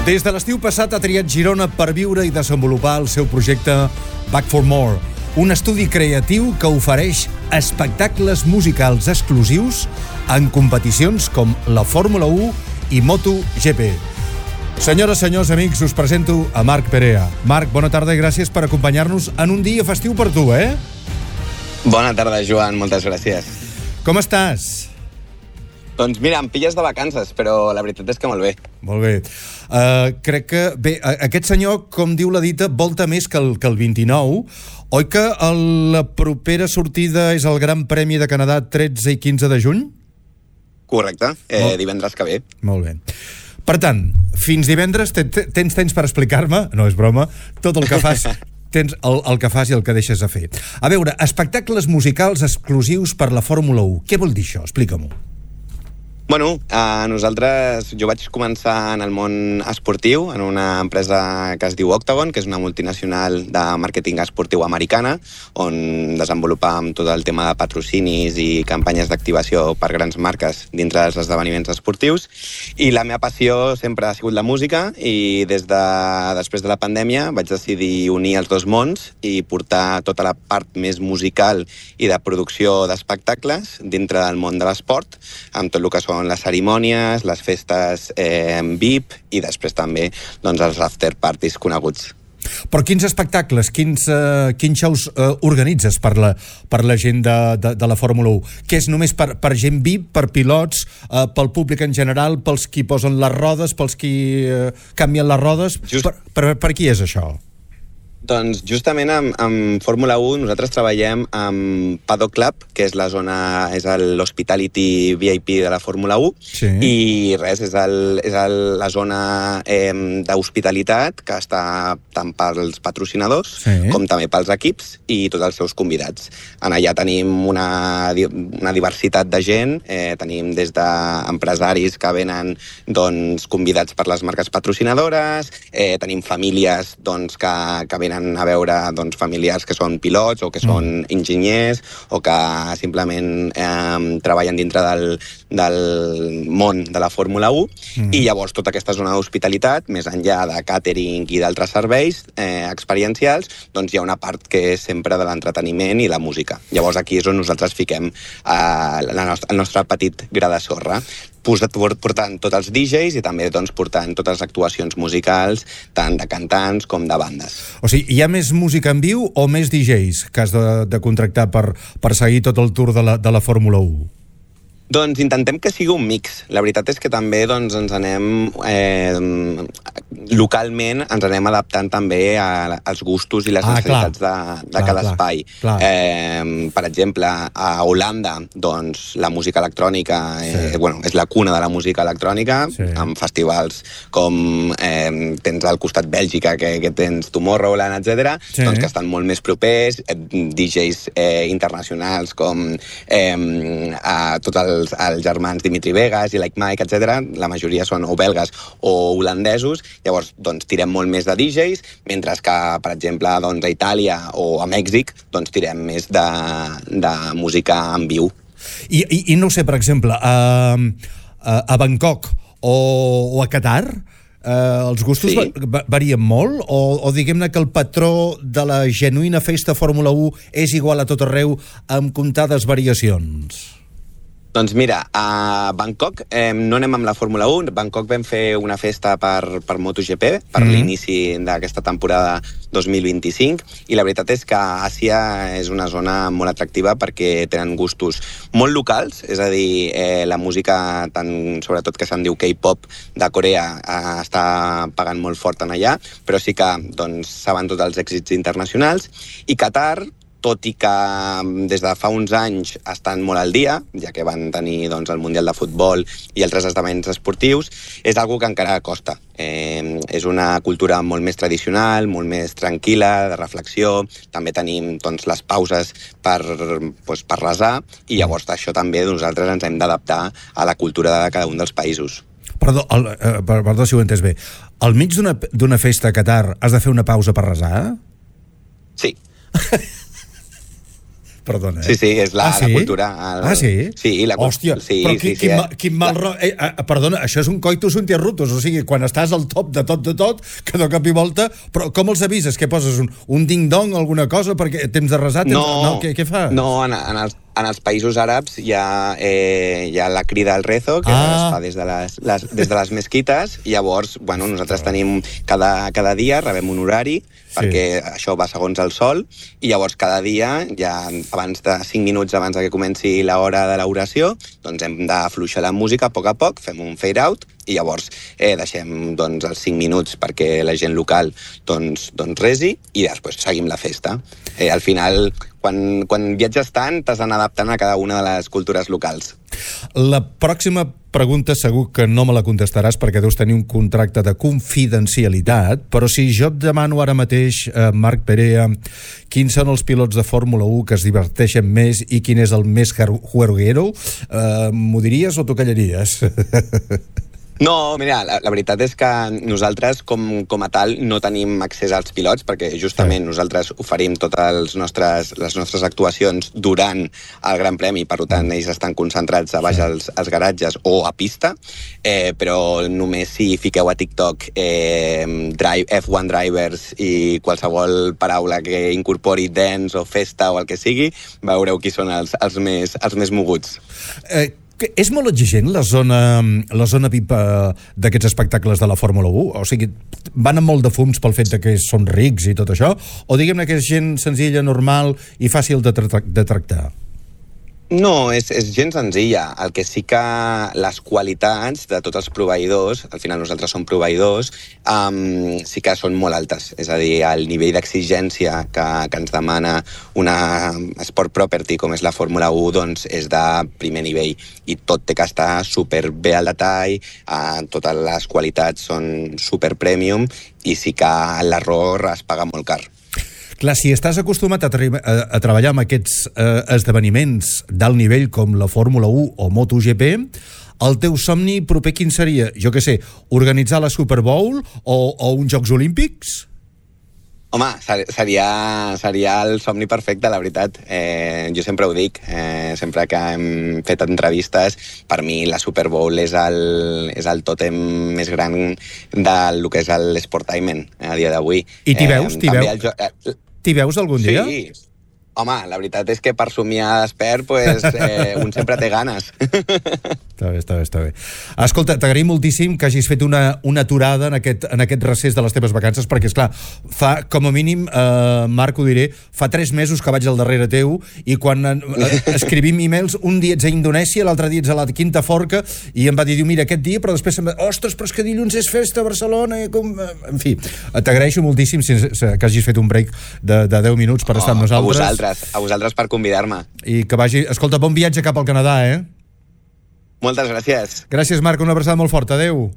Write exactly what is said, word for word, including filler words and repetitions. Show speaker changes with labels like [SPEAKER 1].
[SPEAKER 1] Des de l'estiu passat ha triat Girona per viure i desenvolupar el seu projecte Back for More, un estudi creatiu que ofereix espectacles musicals exclusius en competicions com la Fórmula u i MotoGP. Senyores, senyors, amics, us presento a Marc Perea. Marc, bona tarda i gràcies per acompanyar-nos en un dia festiu per tu, eh?
[SPEAKER 2] Bona tarda, Joan, moltes gràcies.
[SPEAKER 1] Com estàs?
[SPEAKER 2] Doncs mira, em pilles de vacances, però la veritat és que molt bé.
[SPEAKER 1] Molt bé. Uh, crec que, bé, aquest senyor, com diu la dita, volta més que el, que el vint-i-nou. Oi que el, la propera sortida és el Gran Premi de Canadà tretze i quinze de juny?
[SPEAKER 2] Correcte, eh, Molt... divendres que ve.
[SPEAKER 1] Molt bé. Per tant, fins divendres tens temps per explicar-me, no és broma, tot el que fas... tens el, el que fas i el que deixes de fer. A veure, espectacles musicals exclusius per la Fórmula u. Què vol dir això? Explica-m'ho.
[SPEAKER 2] Bueno, a nosaltres, jo vaig començar en el món esportiu, en una empresa que es diu Octagon, que és una multinacional de màrqueting esportiu americana, on desenvolupàvem tot el tema de patrocinis i campanyes d'activació per grans marques dintre dels esdeveniments esportius. I la meva passió sempre ha sigut la música, i des de després de la pandèmia vaig decidir unir els dos mons i portar tota la part més musical i de producció d'espectacles dintre del món de l'esport, amb tot el que són les cerimònies, les festes eh, V I P i després també doncs, els after parties coneguts.
[SPEAKER 1] Però quins espectacles, quins, uh, quins shows uh, organitzes per la, per la gent de, de, de la Fórmula u? Que és només per, per gent V I P, per pilots, uh, pel públic en general, pels qui posen les rodes, pels qui uh, canvien les rodes? Just... Per, per, per qui és això?
[SPEAKER 2] Doncs justament amb, amb Fórmula u nosaltres treballem amb Paddock Club, que és la zona, és l'Hospitality V I P de la Fórmula u, sí. I res, és, el, és el, la zona eh, d'hospitalitat que està tant pels patrocinadors sí. Com també pels equips i tots els seus convidats. En allà tenim una, una diversitat de gent, eh, tenim des d'empresaris que venen doncs, convidats per les marques patrocinadores, eh, tenim famílies doncs, que, que venen a veure doncs, familiars que són pilots o que són mm. enginyers o que simplement eh, treballen dintre del, del món de la Fórmula u mm. i llavors tota aquesta zona d'hospitalitat, més enllà de càtering i d'altres serveis eh, experiencials, doncs hi ha una part que és sempre de l'entreteniment i la música. Llavors aquí és on nosaltres fiquem eh, la nostra, el nostre petit gra de sorra, portant tots els D Js i també doncs, portant totes les actuacions musicals, tant de cantants com de bandes.
[SPEAKER 1] O sigui, hi ha més música en viu o més D Js que has de, de contractar per, per seguir tot el tour de la, de la Fórmula u?
[SPEAKER 2] Doncs intentem que sigui un mix. La veritat és que també doncs, ens anem eh, localment ens anem adaptant també a, als gustos i les ah, necessitats clar. de, de clar, cada clar, espai. Clar. Eh, per exemple, a Holanda doncs, la música electrònica eh, sí. bueno, és la cuna de la música electrònica, sí. amb festivals com eh, tens al costat Bèlgica, que, que tens Tomorrowland, etcètera, sí. doncs, que estan molt més propers, eh, D Js eh, internacionals com eh, a tots els Els, els germans Dimitri Vegas i Like Mike, etcètera. La majoria són o belgues o holandesos. Llavors, doncs, tirem molt més de D Js, mentre que, per exemple, doncs, a Itàlia o a Mèxic, doncs, tirem més de, de música en viu.
[SPEAKER 1] I, i, i no sé, per exemple, a, a, a Bangkok o, o a Qatar, eh, els gustos sí. va, varien molt? O, o diguem-ne que el patró de la genuïna festa Fórmula u és igual a tot arreu amb comptades variacions?
[SPEAKER 2] Doncs mira, a Bangkok eh, no anem amb la Fórmula u. A Bangkok vam fer una festa per, per MotoGP, per mm. l'inici d'aquesta temporada dos mil vint-i-cinc, i la veritat és que Àsia és una zona molt atractiva perquè tenen gustos molt locals, és a dir, eh, la música, tant, sobretot que se'n diu K-pop de Corea, eh, està pagant molt fort en allà, però sí que doncs, saben tots els èxits internacionals. I Qatar, tot i que des de fa uns anys estan molt al dia, ja que van tenir doncs, el Mundial de Futbol i altres esdeveniments esportius, és algo que encara costa. Eh, és una cultura molt més tradicional, molt més tranquil·la, de reflexió. També tenim doncs, les pauses per, doncs, per resar, i llavors això també nosaltres ens hem d'adaptar a la cultura de cada un dels països.
[SPEAKER 1] Perdó, el, eh, perdó si ho he entès bé. Al mig d'una, d'una festa a Qatar has de fer una pausa per resar?
[SPEAKER 2] Sí.
[SPEAKER 1] Perdona, eh?
[SPEAKER 2] Sí, sí, és la,
[SPEAKER 1] ah, sí?
[SPEAKER 2] la cultura. El...
[SPEAKER 1] Ah, sí?
[SPEAKER 2] Sí, la cultura.
[SPEAKER 1] Hòstia,
[SPEAKER 2] sí,
[SPEAKER 1] però
[SPEAKER 2] sí,
[SPEAKER 1] qui,
[SPEAKER 2] sí,
[SPEAKER 1] quin,
[SPEAKER 2] sí,
[SPEAKER 1] ma, quin mal... La... Eh, eh, perdona, això és un coitus interruptus, o sigui, quan estàs al top de tot de tot, que de cop i volta... Però com els avises? Què poses? Un, un ding-dong, alguna cosa? Perquè temps de resar? Temps...
[SPEAKER 2] No,
[SPEAKER 1] no què, què fas?
[SPEAKER 2] No, en, en els En els països àrabs hi ha, eh, hi ha la crida al rezo, que ah. es fa des de les, les, des de les mesquites, i llavors, bueno, nosaltres tenim cada, cada dia, rebem un horari, sí. perquè això va segons el sol, i llavors cada dia, ja abans de cinc minuts abans de que comenci l'hora de l'oració, doncs hem d'afluixar la música a poc a poc, fem un fade out, i llavors eh, deixem doncs, els cinc minuts perquè la gent local doncs, doncs resi, i després seguim la festa. Eh, al final, quan, quan viatges tant, t'has d'anar adaptant a cada una de les cultures locals.
[SPEAKER 1] La pròxima pregunta segur que no me la contestaràs perquè deus tenir un contracte de confidencialitat, però si jo et demano ara mateix, eh, Marc Perea, quins són els pilots de Fórmula u que es diverteixen més i quin és el més juerguero, eh, m'ho diries o t'ho callaries?
[SPEAKER 2] No, mira, la, la veritat és que nosaltres, com, com a tal, no tenim accés als pilots, perquè justament sí. nosaltres oferim totes les nostres, les nostres actuacions durant el Gran Premi, per tant, ells estan concentrats a baix sí. als, als garatges o a pista, eh, però només si fiqueu a TikTok eh, drive, F one Drivers i qualsevol paraula que incorpori dance o festa o el que sigui, veureu qui són els, els, més, els més moguts.
[SPEAKER 1] Eh, És molt exigent la zona, la zona V I P d'aquests espectacles de la Fórmula u? O sigui, van amb molt de fums pel fet de que són rics i tot això? O diguem-ne que és gent senzilla, normal i fàcil de, tra de tractar?
[SPEAKER 2] No, és, és gens senzilla. El que sí que les qualitats de tots els proveïdors, al final nosaltres som proveïdors, um, sí que són molt altes. És a dir, el nivell d'exigència que, que ens demana una sport property com és la Fórmula u, doncs és de primer nivell. I tot té que estar superbé al detall, uh, totes les qualitats són super premium i sí que l'error es paga molt car.
[SPEAKER 1] Clar, si estàs acostumat a, a, a treballar amb aquests eh, esdeveniments d'alt nivell com la Fórmula u o MotoGP, el teu somni proper quin seria? Jo què sé, organitzar la Super Bowl o, o uns Jocs Olímpics?
[SPEAKER 2] Home, seria, seria el somni perfecte, la veritat. Eh, jo sempre ho dic, eh, sempre que hem fet entrevistes, per mi la Super Bowl és el, és el tòtem més gran del que és l'Sportainment a dia d'avui.
[SPEAKER 1] I t'hi veus? T'hi
[SPEAKER 2] eh,
[SPEAKER 1] veus? Eh, T'hi veus algun
[SPEAKER 2] sí.
[SPEAKER 1] dia?
[SPEAKER 2] Sí. Home, la veritat és que per somiar despert, pues, eh, un sempre té ganes.
[SPEAKER 1] Està bé, està bé, està bé. Escolta, t'agraïm moltíssim que hagis fet una, una aturada en aquest, en aquest recés de les teves vacances, perquè, esclar, fa, com a mínim, eh, Marc, ho diré, fa tres mesos que vaig al darrere teu i quan eh, escrivim e-mails, un dia ets a Indonèsia, l'altre dia ets a la Quinta Forca, i em va dir, mira, aquest dia, però després em va dir, ostres, però és que dilluns és festa a Barcelona, i com... En fi, t'agraeixo moltíssim que hagis fet un break de, de deu minuts per oh, estar amb nosaltres.
[SPEAKER 2] A vosaltres, a vosaltres per convidar-me.
[SPEAKER 1] I que vagi... Escolta, bon viatge cap al Canadà, eh?
[SPEAKER 2] Moltes gràcies.
[SPEAKER 1] Gràcies, Marc, una abraçada molt forta. Adéu.